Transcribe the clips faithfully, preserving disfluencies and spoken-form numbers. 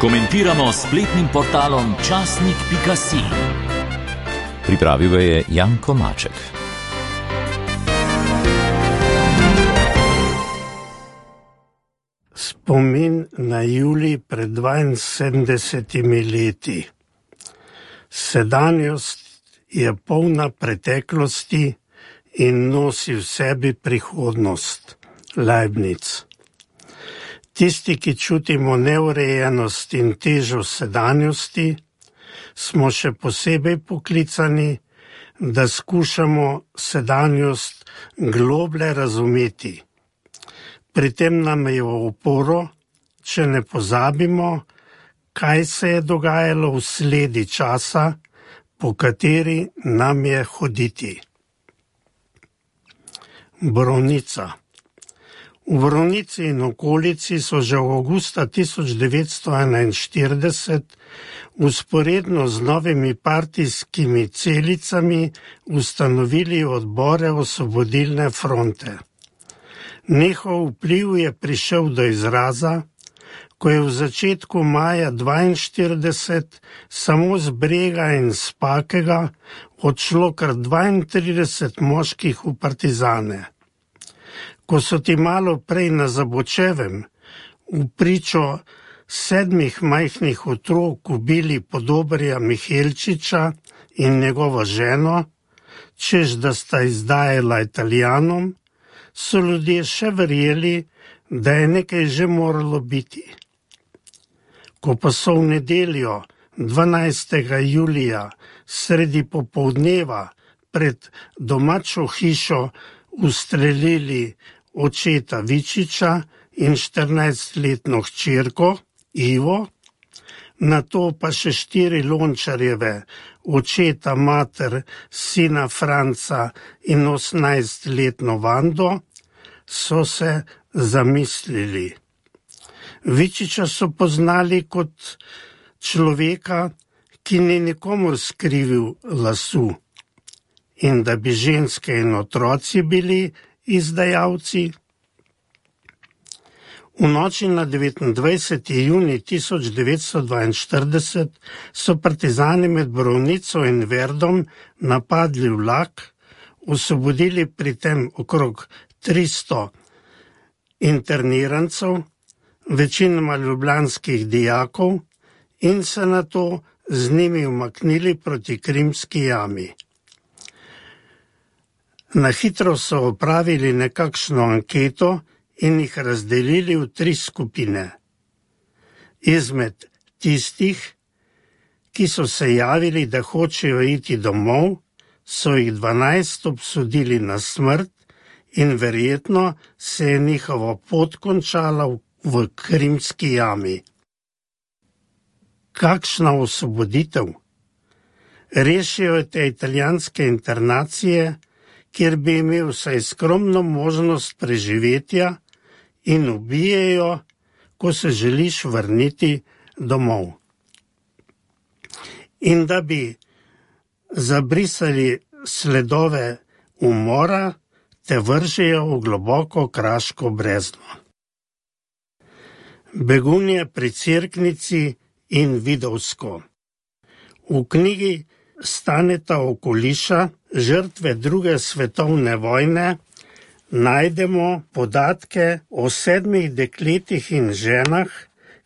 Komentiramo s spletnim portalom časnik pika si. Pripravil je Janko Maček. Spomin na julij pred dvainsedemdesetimi leti. Sedanjost je polna preteklosti in nosi v sebi prihodnost. Leibniz. Tisti, ki čutimo neurejenost in težo sedanjosti, smo še posebej poklicani, da skušamo sedanjost globlje razumeti. Pri tem nam je v oporo, če ne pozabimo, kaj se je dogajalo v sledi časa, po kateri nam je hoditi. Borovnica. V Borovnici in okolici so že v avgusta tisoč devetsto enainštirideset vzporedno z novimi partijskimi celicami ustanovili odbore Osvobodilne fronte. Njihov vpliv je prišel do izraza, ko je v začetku maja dvainštirideset samo z Brega in Spakega odšlo kar dvaintrideset moških v partizane. Ko so ti malo prej na Zabočevem v pričo sedmih majhnih otrok ubili Podobarja Mihelčiča in njegovo ženo, češ da sta izdajala Italijanom, so ljudje še verjeli, da je nekaj že moralo biti. Ko pa so v nedeljo dvanajstega julija sredi popoldneva pred domačo hišo ustrelili očeta Vičiča in štirinajstletno hčerko Ivo, nato pa še štiri Lončarjeve, očeta, mater, sina Franca in osemnajstletno Vando, so se zamislili. Vičiča so poznali kot človeka, ki ni nikomur skrivil lasu, in da bi ženske in otroci bili izdajalci. V noči na devetindvajseti junij tisoč devetsto dvainštirideset so partizani med Borovnico in Verdom napadli vlak, osvobodili pri tem okrog tristo internirancev, večinoma ljubljanskih dijakov, in se nato z njimi umaknili proti Krimski jami. Na hitro so opravili nekakšno anketo in jih razdelili v tri skupine. Izmed tistih, ki so se javili, da hočejo iti domov, so jih dvanajst obsodili na smrt in verjetno se je njihova pot končala v Krimski jami. Kakšna osvoboditev? Rešijo te italijanske internacije, kjer bi imel vsaj skromno možnost preživetja, in ubijejo, ko se želiš vrniti domov. In da bi zabrisali sledove umora, te vržejo v globoko kraško brezno. Begunje pri Cerknici in Vidovsko. V knjigi Staneta Okuliša, žrtve druge svetovne vojne, najdemo podatke o sedmih dekletih in ženah,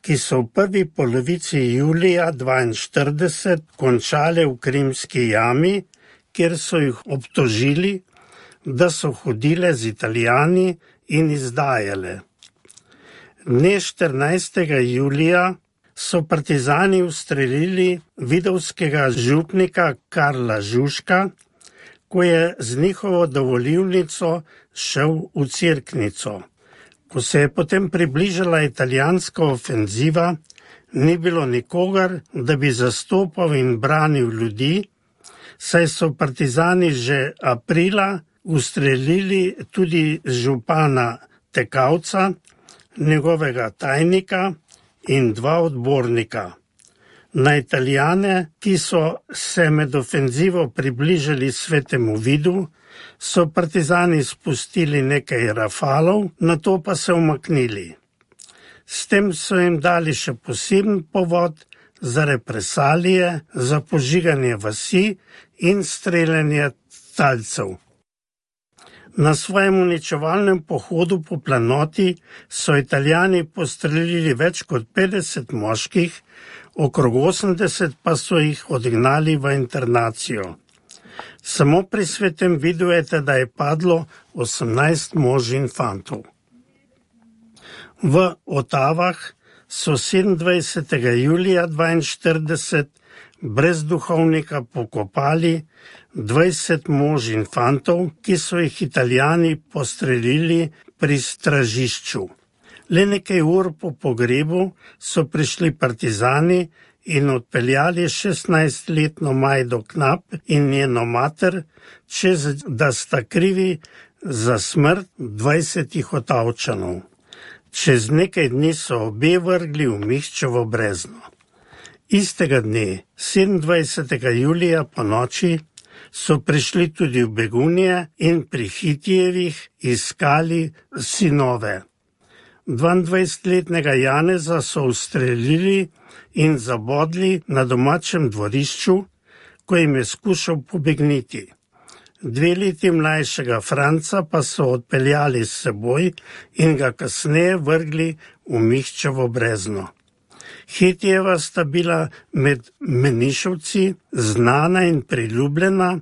ki so v prvi polovici julija dvainštirideset končale v Krimski jami, kjer so jih obtožili, da so hodile z Italijani in izdajale. Dne štirinajstega julija so partizani ustrelili vidovskega župnika Karla Žužka, ko je z njihovo dovolilnico šel v Cerknico. Ko se je potem približala italijanska ofenziva, ni bilo nikogar, da bi zastopal in branil ljudi, saj so partizani že aprila ustrelili tudi župana Tekavca, njegovega tajnika in dva odbornika. Na Italijane, ki so se med ofenzivo približali Svetemu Vidu, so partizani spustili nekaj rafalov, nato pa se umaknili. S tem so jim dali še poseben povod za represalije, za požiganje vasi in streljanje talcev. Na svojem uničevalnem pohodu po planoti so Italijani postrelili več kot petdeset moških, okrog osemdeset pa so jih odgnali v internacijo. Samo pri Svetem vidujete, da je padlo osemnajst mož in fantov. V Otavah so sedemindvajsetega julija dvainštirideset brez duhovnika pokopali dvajset mož in fantov, ki so jih Italijani postrelili pri stražišču. Le nekaj ur po pogrebu so prišli partizani in odpeljali šestnajstletno Majdo Knap in njeno mater, čez da sta krivi za smrt dvajsetih Otavčanov. Čez nekaj dni so obe vrgli v Mihčevo brezno. Istega dne, sedemindvajsetega julija po noči, so prišli tudi v Begunje in pri Hitijevih iskali sinove. dvaindvajsetletnega Janeza so ustrelili in zabodli na domačem dvorišču, ko jim je skušal pobegniti. Dve leti mlajšega Franca pa so odpeljali s seboj in ga kasneje vrgli v Mihčevo brezno. Hitijeva sta bila med menišovci znana in priljubljena,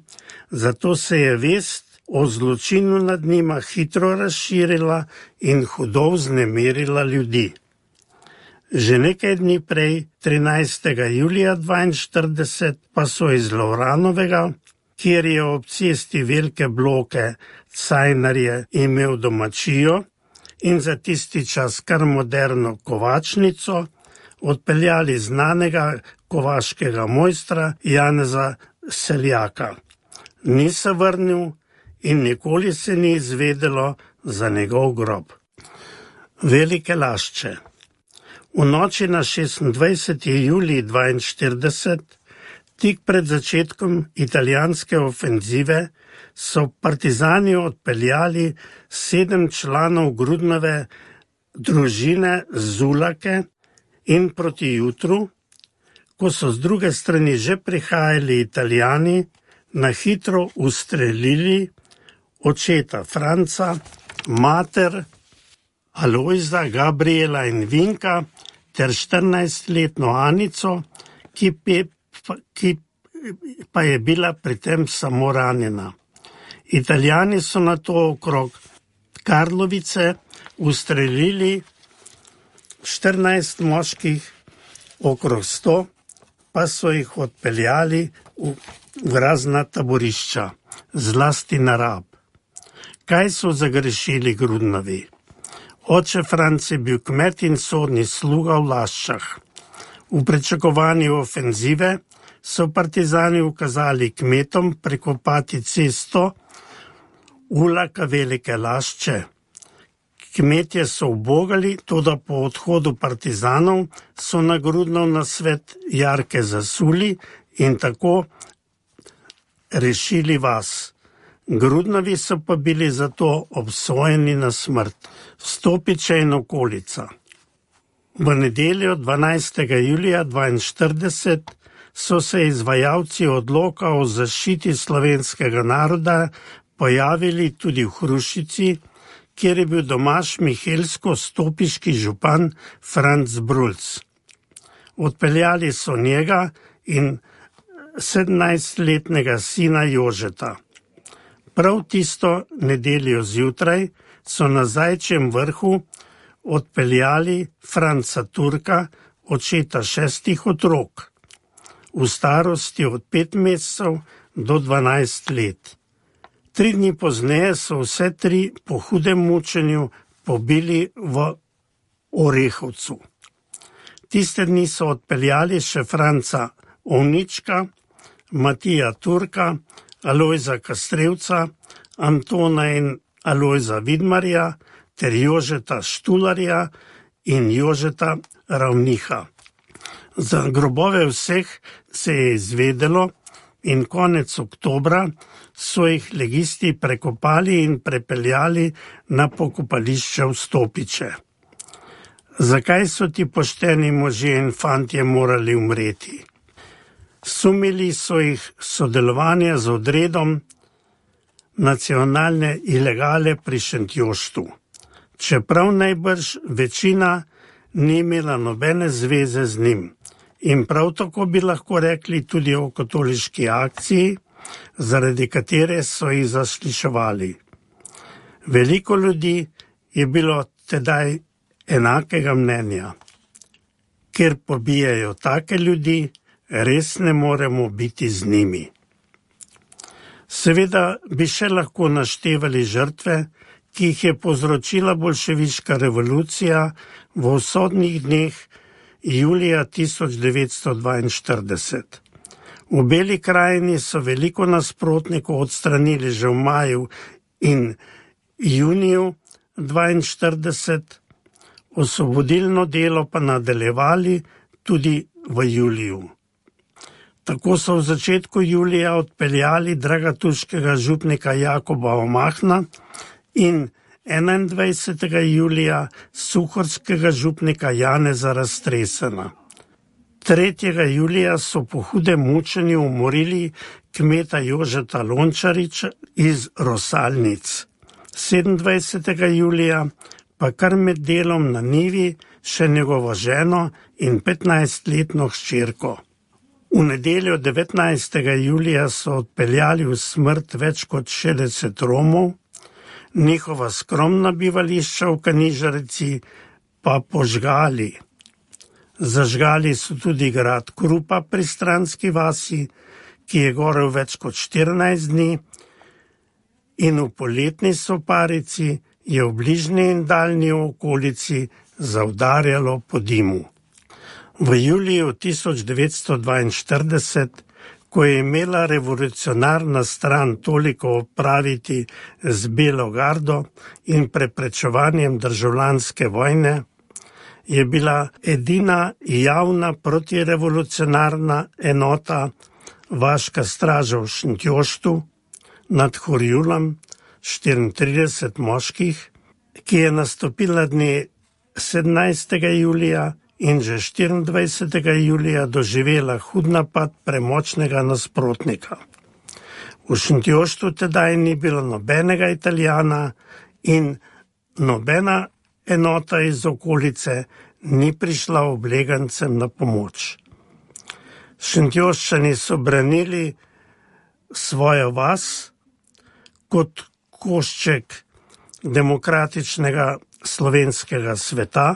zato se je vest o zločinu nad njima hitro razširila in hudo vznemirila ljudi. Že nekaj dni prej, trinajstega julija dvainštirideset, pa so iz Lovranovega, kjer je ob cesti Velike Bloke Cajnarje imel domačijo in za tisti čas kar moderno kovačnico, odpeljali znanega kovaškega mojstra Janeza Seljaka. Ni se vrnil in nikoli se ni izvedelo za njegov grob. Velike Lašče. V noči na šestindvajseti julij dvainštirideset, tik pred začetkom italijanske ofenzive, so partizani odpeljali sedem članov Grudnove družine Zulake in proti jutru, ko so z druge strani že prihajali Italijani, na hitro ustrelili očeta Franca, mater Alojza, Gabriela in Vinka ter štirinajstletno Anico, ki, pe, ki pa je bila pri tem samo ranjena. Italijani so nato okrog Karlovice ustrelili štirinajst moških, okrog sto pa so jih odpeljali v, v razna taborišča, zlasti na Rab. Kaj so zagrešili Grudnovi? Oče Franc je bil kmet in sodni sluga v Laščah. V pričakovanju ofenzive so partizani ukazali kmetom prekopati cesto Ulaka Velike Lašče. Kmetje so ubogali, toda po odhodu partizanov so na Grudnov nasvet jarke zasuli in tako rešili vas. Grudnovi so pa bili zato obsojeni na smrt. Stopiče in okolica. V nedeljo dvanajstega julija dvainštirideset so se izvajalci odloka o zaščiti slovenskega naroda pojavili tudi v Hrušici, kjer je bil domač mihelsko-stopiški župan Franc Brulc. Odpeljali so njega in sedemnajstletnega sina Jožeta. Prav tisto nedeljo zjutraj so na Zajčjem vrhu odpeljali Franca Turka, očeta šestih otrok, v starosti od pet mesecev do dvanajst let. Tri dni pozneje so vse tri po hudem mučenju pobili v Orehovcu. Tiste dni so odpeljali še Franca Ovnička, Matija Turka, Alojza Kastrevca, Antona in Alojza Vidmarja ter Jožeta Štularja in Jožeta Ravniha. Za grobove vseh se je izvedelo in konec oktobra so jih legisti prekopali in prepeljali na pokopališče v Stopiče. Zakaj so ti pošteni možje in fantje morali umreti? Sumili so jih sodelovanja z odredom nacionalne ilegale pri Šentjoštu, čeprav najbrž večina ni imela nobene zveze z njim. In prav tako bi lahko rekli tudi o katoliški akciji, zaradi katere so jih zasliševali. Veliko ljudi je bilo tedaj enakega mnenja. Ker pobijajo take ljudi, res ne moremo biti z njimi. Seveda bi še lahko naštevali žrtve, ki jih je povzročila boljševiška revolucija v usodnih dneh julija tisoč devetsto dvainštirideset. V Beli krajini so veliko nasprotnikov odstranili že v maju in juniju dvainštirideset, osvobodilno delo pa nadaljevali tudi v juliju. Tako so v začetku julija odpeljali dragatuškega župnika Jakoba Omahna in enaindvajsetega julija suhorskega župnika Janeza Raztresena. tretjega julija so po hudem mučenju umorili kmeta Jožeta Lončariča iz Rosalnic. sedemindvajsetega julija pa kar med delom na njivi še njegovo ženo in petnajstletno hčerko. V nedeljo devetnajstega julija so odpeljali v smrt več kot šestdeset Romov, njihova skromna bivališča v Kanižarici pa požgali. Zažgali so tudi grad Krupa pri Stranski vasi, ki je gorel več kot štirinajst dni, in v poletni soparici je v bližnji in daljni okolici zaudarjalo po dimu. V juliju tisoč devetsto dvainštirideset, ko je imela revolucionarna stran toliko opraviti z Belo gardo in preprečevanjem državljanske vojne, je bila edina javna protirevolucionarna enota vaška straža v Šentjoštu nad Horjulom, štiriintrideset moških, ki je nastopila dne sedemnajstega julija in že štiriindvajsetega julija doživela hud napad premočnega nasprotnika. V Šentjoštu tedaj ni bilo nobenega Italijana in nobena enota iz okolice ni prišla oblegancem na pomoč. Šentjoščani so branili svojo vas kot košček demokratičnega slovenskega sveta,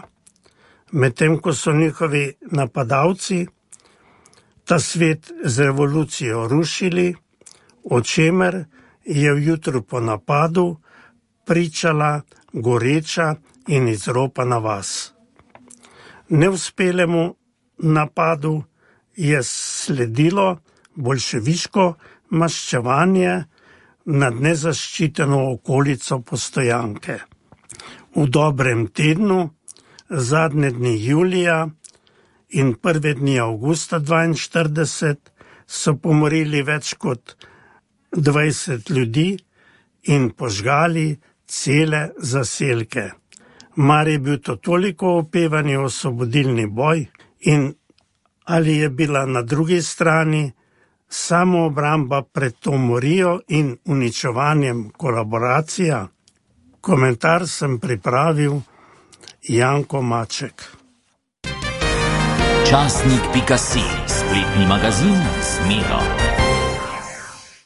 medtem ko so njihovi napadalci ta svet z revolucijo rušili, o čemer je v jutru po napadu pričala goreča in izropana vas. Neuspelemu napadu je sledilo boljševiško maščevanje nad nezaščiteno okolico Postojanke. V dobrem tednu, zadnje dni julija in prve dni avgusta dvainštirideset so pomorili več kot dvajset ljudi in požgali cele zaselke. Mar je bil to toliko opevani osvobodilni boj in ali je bila na drugi strani samoobramba pred to morijo in uničevanjem kolaboracija? Komentar sem pripravil Janko Maček. Časnik pika si, spletni magazin z Miro.